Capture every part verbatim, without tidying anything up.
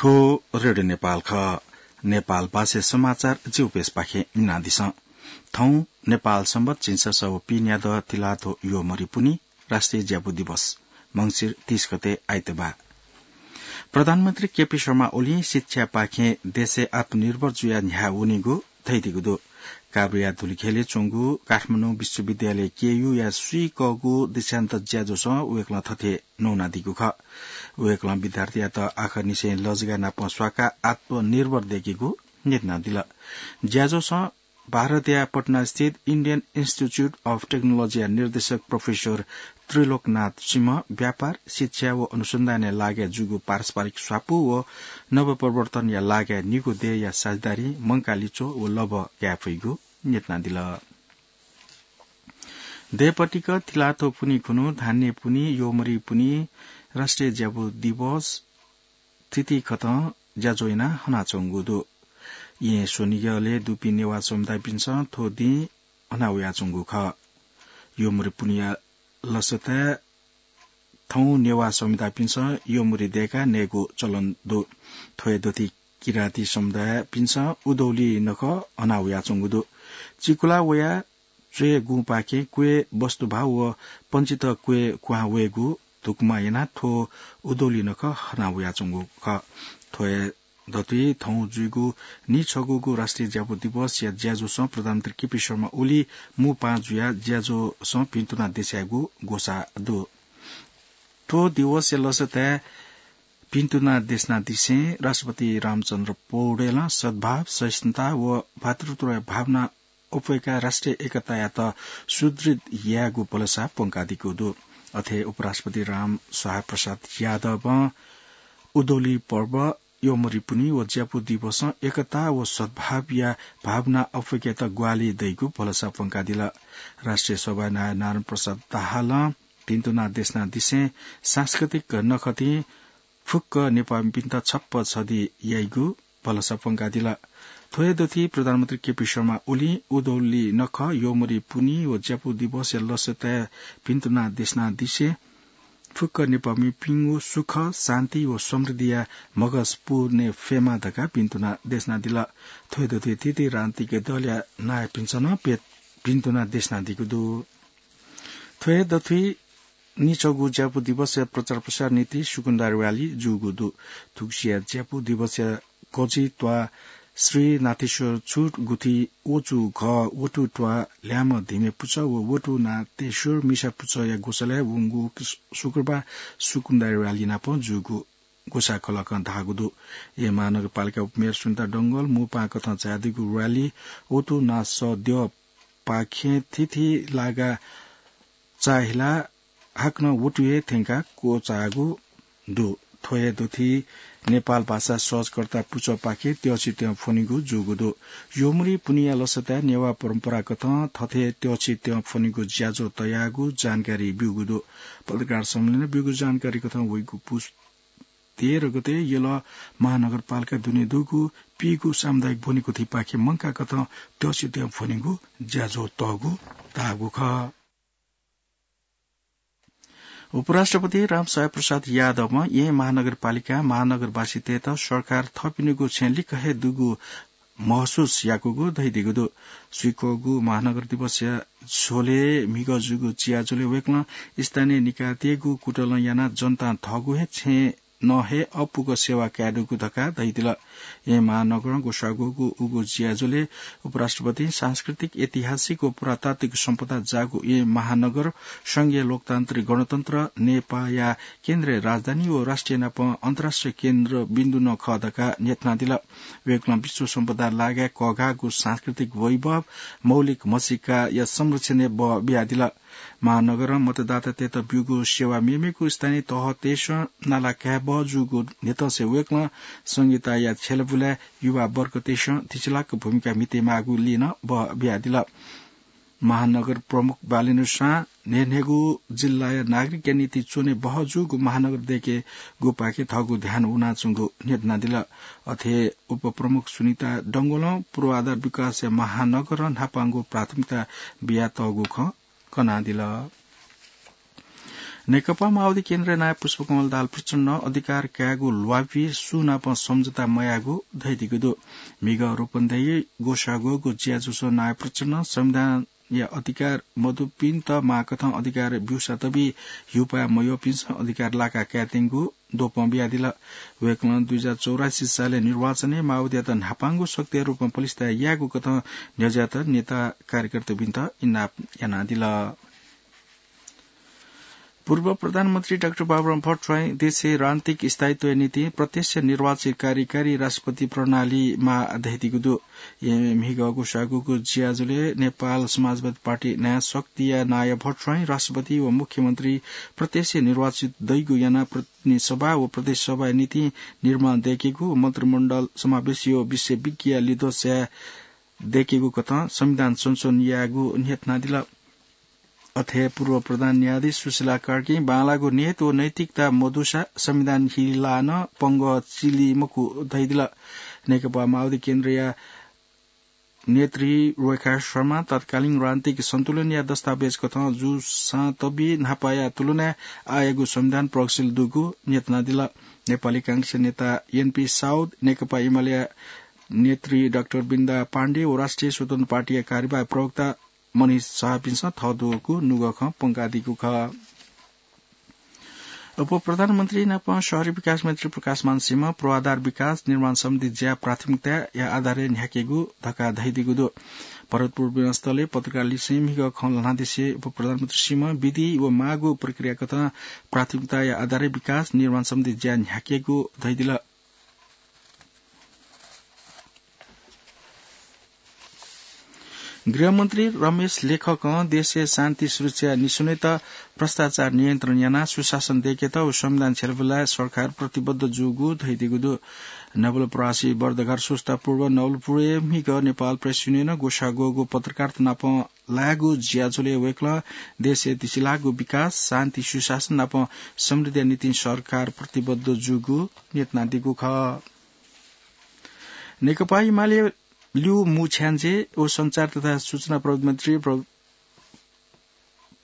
थ्व रेडियो नेपाल खः। नेपाल भाषा समाचार जिउपेसपाखें मिनादिसँ। थौं नेपाल संवत झिंछसः व पीन्यादँ तिलाथ्व योमरी पुन्हि, राष्ट्रिय ज्यापु दिवस, मंसिर तीस गते आइतबार। प्रधानमन्त्री केपी शर्मा ओलीं शिक्षापाखें देशय् आत्मनिर्भर जुयाः न्ह्याः वनीगु धयादीगु दु। काभ्रेया धुलिखेलय् च्वंगु काठमाडौं विश्वविद्यालय केयूया स्वीकःगु दीक्षान्त ज्याझ्वलय् वय्कलं थथे न्वनादीगु खः। वय्कलं विद्यार्थीयात आखरनिसें लजगाः नाप स्वाकाः आत्मनिर्भर दय्केगु न्ह्यथनादिल। ज्याझ्वलय् भारतया पटनास्थित Indian Institute of Technologyया निर्देशक प्रोफेसर त्रिलोकनाथ सिंह व्यापार, शिक्षा व अनुसन्धानया लागाय् जूगु पारस्परिक स्वापू व नवप्रवर्तनया लागाय् निगू देय्या साझेदारी, मंकाः लिच्वः व लभ्व काये फइगु न्ह्यथनादिल। देय्‌पतिक तिलाथ्व पुन्हि खुन्हु धान्य पुन्हि, योमरी पुन्हि, राष्ट्रिय ज्यापु दिवस थीथी खतं ज्याझ्वः यानाः हनाच्वंगु दु। येँ स्वनिगलय् दुपिं नेवाः समुदायपिन्सं थ्व दिं हना वयाच्वंगु खः। योमरी पुन्हिया लसताय् थौं नेवाः समुदायपिन्सं योमरी दय्काः नयेगु चलन दु। थ्व हे दथुइ किराँती समुदायपिन्सं उधौली नखः हना वयाच्वंगु दु। चिकुला वयाः च्वय् गुंपाखें क्वय् वस्तुभाव व पञ्चित क्वय् क्वहां वयेगु धुकुमा यानाः थ्व उधौली नखः हना वयाच्वंगु खः। थ्व हे दथुइ थौं जुइगु नीछगूगु राष्ट्रिय ज्यापु दिवसया ज्याझ्वलय् प्रधानमन्त्री केपी शर्मा ओली मू पाहां जुयाः ज्याझ्वलय् भिन्तुना देछायेगु ग्वसाः दु। थ्व दिवसया लसताय् भिन्तुना देछानादिसें राष्ट्रपति रामचन्द्र पौडेलं सद्भाव, सहिष्णुता व भातृत्वया भावना अप्वय्काः राष्ट्रिय एकतायात सुदृढ यायेगु भलसा प्वंकादीगु दु। अथे उपराष्ट्रपति रामशरण प्रसाद यादवं उधौली पर्व, योमरी पुन्हि व ज्यापु दिवसं एकता व सद्भावया भावना अप्वय्केत ग्वाहालि दइगु भलसा प्वंकादिल। राष्ट्रिय सभानायः नारायण प्रसाद दाहालं भिन्तुना देछानादिसें सांस्कृतिक नखतिं फुक्क नेपाःमिपिन्त छप्पँ छधि याइगु भलसा प्वंकादिल। थ्व हे दथुइ प्रधानमन्त्री केपी शर्मा ओलीं उधौली नखः, योमरी पुन्हि व ज्यापु दिवसया लसताय् भिन्तुना देछानादिसें फुक्क नेपाःमिपिनिगु सुख, शान्ति व समृद्धिया म्हगस पूवने फयेमा धकाः भिन्तुना देछानादिल। थ्व हे दथुइ थीथी राजनीतिक दलया नायःपिन्सं नं पे-, भिन्तुना देछानादीगु दु। थ्व हे दथुइ नीछगू ज्यापु दिवसया प्रचार प्रसार निंतिं सुकुन्दा rally जूगु दु। थुगुसिया ज्यापु दिवसया गजि त्वाः श्री नाथेश्वर छुट गुथि वचु घः वटु त्वाः ल्याय्म्ह धिमे पुचः व वटु नाथेश्वर मिसा पुचःया ग्वसालय् वंगु शुक्रबार सुकुन्दा rally नाप जूगु ग्वसाः खलकं धाःगु दु। येँ महानगरपालिका उपमेयर सुनिता डंगोल मू पाहां कथं झायादीगु rally वटु नासः द्यःपाखें थीथी लागा चाःहिलाः हाकनं वटु हे थ्यंकाः क्वचाःगु दु। थ्व हे दथुइ नेपाल भाषा सहजकर्ता पुचःपाखें त्यःछि त्यं फ्वनीगु जूगु दु। योमरी पुन्हिया लसताय् नेवाः परम्पराकथं थथे त्यःछि त्यं फ्वनीगु ज्याझ्वः तयागु जानकारी ब्यूगु दु। पत्रकार सम्मेलनय् ब्यूगु जानकारी कथं वइगु पुस तेह्र गते यल महानगरपालिका दुने दुगु पीगु सामुदायिक ब्वनेकुथिपाखें मंकाः कथं त्यःछि त्यं फ्वनीगु ज्याझ्वः तःगु धाःगु खः। उपराष्ट्रपति रामशरण प्रसाद यादवं येँ महानगरपालिकां महानगरवासीतय्त सरकार थःपिनिगु छेँय् लिक्क हे दुगु महसुस याकूगु धयादीगु दु। स्वीकःगु महानगर दिवसया झ्वलय् म्हिगः जूगु ज्याझ्वलय् वय्कलं स्थानीय निकायतय्गु कुतलं यानाः जनतां थःगु हे छेँय् नं हे अःपुक सेवा कायेदुगु धकाः धयादिल। येँ महानगरं ग्वसाःगु उगु ज्याझ्वलय् उपराष्ट्रपतिं सांस्कृतिक, ऐतिहासिक व पुरातात्विक सम्पदा जाःगु येँ महानगर संघीय लोकतान्त्रिक गणतन्त्र नेपाःया केन्द्रीय राजधानी व राष्ट्रिय नाप अन्तर्राष्ट्रिय केन्द्रबिन्दु नं खः धकाः न्ह्यथनादिल। वय्कलं विश्व सम्पदा लागाय् कःघाःगु सांस्कृतिक वैभव, मौलिक म्हसीकाया संरक्षणय् बः बियादिल। महानगरं मतदातातय्त ब्यूगु सेवा मेमेगु स्थानीय तहतय्सं नाला कायेबहः जूगु न्ह्यथंसे वय्कलं संघीयताया छ्यलाबुलाय् युवा वर्गतय्सं थिचिलाक भूमिका म्हितेमाःगुलिं नं बः बियादिल। महानगर प्रमुख बालेन्द्र सां न्हय्न्हय्गू जिल्लाया नागरिकया निंतिं च्वने बहः जूगु महानगर दय्केगुपाखे थःगु ध्यान वनाच्वंगु न्ह्यथनादिल। अथे उपप्रमुख सुनिता डंगोलं पूर्वाधार विकासया महानगरं न्हापांगु प्राथमिकता बियातःगु खँ कनादिल। नेकपा माओवादी केन्द्रया नायः पुष्पकमल दाहाल प्रचण्डं अधिकार कायेगु ल्वापि सुनापं सम्झौता मयाःगु धयादीगु दु। म्हिगः रूपन्देही ग्वसाः ग्वःगु ज्याझ्वलय् नायः प्रचण्डं संविधानया अधिकार मदुपिन्त माःकथं अधिकार ब्यूसा तबि ह्यूपाः मयःपिन्सं अधिकार लाका कायेत्यंगु द्वपं बियादिल। वय्कलं दुई हजार चौरासी सालय् निर्वाचनय् माओवादीयात न्हापांगु शक्तिया रूपमा पलिस्था यायेगु कथं न्ह्यज्यात नेता कार्यकर्तापिन्त इनाप यानादिल। पूर्व प्रधानमन्त्री डाक्टर बाबुराम भट्टराईं देशय् राजनीतिक स्थायित्वया निंतिं प्रत्यक्ष निर्वाचित कार्यकारी राष्ट्रपति प्रणाली माः धयादीगु दु। येँ म्हिगः ग्वसाः ग्वःगु ज्याझ्वलय् नेपाल समाजवादी पार्टी नयाँ शक्तिया नायः भट्टराईं राष्ट्रपति व मुख्यमन्त्री प्रत्यक्ष निर्वाचित दइगु यानाः प्रतिनिधि सभा व प्रदेश सभाया निंतिं निर्माण दयेकेगु व मन्त्रीमण्डल समावेशी व विषय विज्ञया लिधोसय् दयेकेगु कथं संविधान संशोधन यायेगु न्ह्यथनादिल। अथे पूर्व प्रधान न्यायाधीश सुशीला कार्कीं बांलाःगु नीयत व नैतिकता मदुसा संविधान हिलाः नं पंगः चिली मखु धयादिल। नेकपा माओवादी केन्द्रया नेत्री रेखा शर्मां तत्कालीन राजनीतिक सन्तुलनया दस्तावेज कथं जूसां तबि न्हापाया तुलनाय् आःयागु संविधान प्रगतिशील दुगु न्ह्यथनादिल। नेपाली कांग्रेसया नेता एनपी साउद, नेकपा एमालेया नेत्री डाक्टर वृन्दा पाण्डे व राष्ट्रिय स्वतन्त्र पार्टीया कार्यवाहक प्रवक्ता मनिष शाहपिन्सं थः दुगु नुगः खँ प्वंकादीगु खः। उपप्रधानमन्त्री नाप शहरी विकास मन्त्री प्रकाशमान सिंहं पूर्वाधार विकास निर्माण सम्बन्धी ज्या प्राथमिकताया आधारय् न्ह्याकेगु धकाः धयादीगु दु। भरतपुर विमानस्थलय् पत्रकारलिसें म्हिगः खँ ल्हानादिसे उपप्रधानमन्त्री सिंहं विधि व माःगु प्रक्रिया कथं प्राथमिकताया आधारय् विकास निर्माण सम्बन्धी ज्या न्ह्याकेगु धयादिल। गृहमन्त्री रमेश लेखकं देशय् शान्ति सुरक्षा निस्वनेत भ्रष्टाचार नियन्त्रण यानाः सुशासन दयेकेत व संविधान छ्यलाबुलाय् सरकार प्रतिबद्ध जूगु धयादीगु दु। नवलपरासी बर्दघाट स्वच्छता पर्व नवलपुरय् म्हिगः नेपाल प्रेस युनियनं ग्वसाः ग्वःगु पत्रकारत नाप लायेगु ज्याझ्वलय् वय्कलं देशय् तिसिलाःगु विकास, शान्ति, सुशासन नाप समृद्धिया निंतिं सरकार प्रतिबद्ध जूगु न्ह्यथनादीगु खः। नेकपा एमाले ल्यू मू छ्याञ्जे व सञ्चार तथा सूचना प्रविधि मन्त्री प्र-,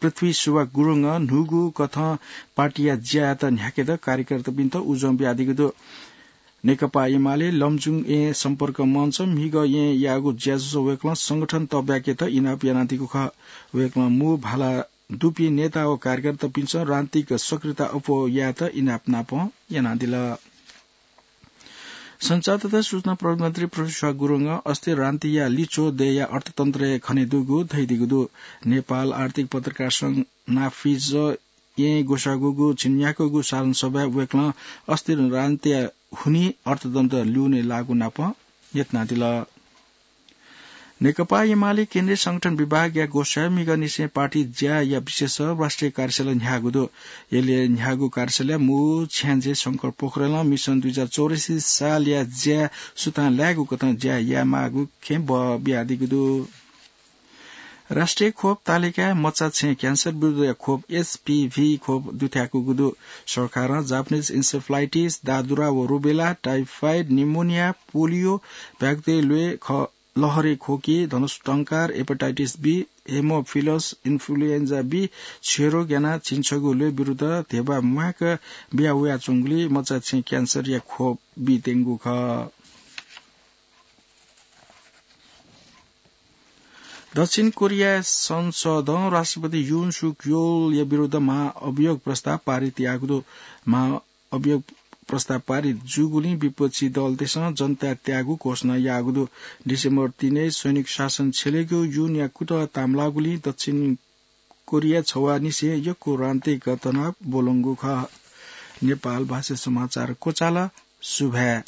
पृथ्वी सुवाक गुरुङं न्हूगु कथं पार्टीया ज्यायात न्ह्याकेत कार्यकर्तापिन्त उजं बियादीगु दु। नेकपा एमाले लमजुङ येँ सम्पर्क मञ्च म्हिगः येँ याःगु ज्याझ्वलय् वय्कलं संगठन तःब्याकेत इनाप यानादीगु खः। वय्कलं मू भाला दुपिं नेता व कार्यकर्तापिन्सं राजनीतिक सक्रियता अप्वः यायेत इनाप नाप यानादिल। सञ्चार तथा सूचना प्रविधि मन्त्री पृथ्वी सुवाक गुरुङं अस्थिर राजनीतिया लिच्वः दयेया अर्थतन्त्रय् खनेदुगु धयादीगु दु। नेपाल आर्थिक पत्रकार संघ नाफिज येँ ग्वसाः ग्वःगु झिंन्याक्वःगु साधारण सभाय् वय्कलं अस्थिर राजनीतिया हुनिं अर्थतन्त्र ल्यूने लाःगु नाप न्ह्यथनादिल। नेकपा एमाले केन्द्रीय संगठन विभागया ग्वसाःय् म्हिगःनिसें पार्टी ज्याया विशेष राष्ट्रिय कार्यशाला न्ह्याःगु दु। यलय् न्ह्याःगु कार्यशालाय् मू छ्याञ्जे शंकर पोखरेलं मिसन दुई हजार चौरासी सालया ज्या सुथां लायेगु कथं ज्या यायेमाःगु खँय् बः बियादीगु दु। राष्ट्रिय खोप तालिकाय् मचा छेँ क्यान्सर विरुद्धया खोप, एचपीभी खोप दुथ्याकूगु दु। सरकारं जापानिज इन्सेफलाइटिस, दादुरा व रुबेला, टाइफाइड, निमोनिया, पोलियो, भ्यागुतय् ल्वय्, ख-, लहरे खोकी, धनुष टंकार, hepatitis B, haemophilus influenza B, क्षयरोग यानाः झिंछगू ल्वय् विरुद्ध धेबा म्वायेक बिया वयाच्वंगुलिं मचा छेँ क्यान्सरया खोप बीत्यंगु खः। दक्षिण कोरिया संसदं राष्ट्रपति युन सुक योलया विरुद्ध महाअभियोग प्रस्ताव पारित याःगु दु। महाअभियोग प्रस्ताव पारित जूगुलिं विपक्षी दलतय्सं जनता त्यागु घोषणा याःगु दु। डिसेम्बर तीनय् सैनिक शासन छ्यलेगु युनया कुतः तांलाःगुलिं दक्षिण कोरिया छवाःनिसें यक्व राजनीतिक तनाव ब्वलंगु खः। नेपाल भाषा समाचार क्वचाल। सुभाय्।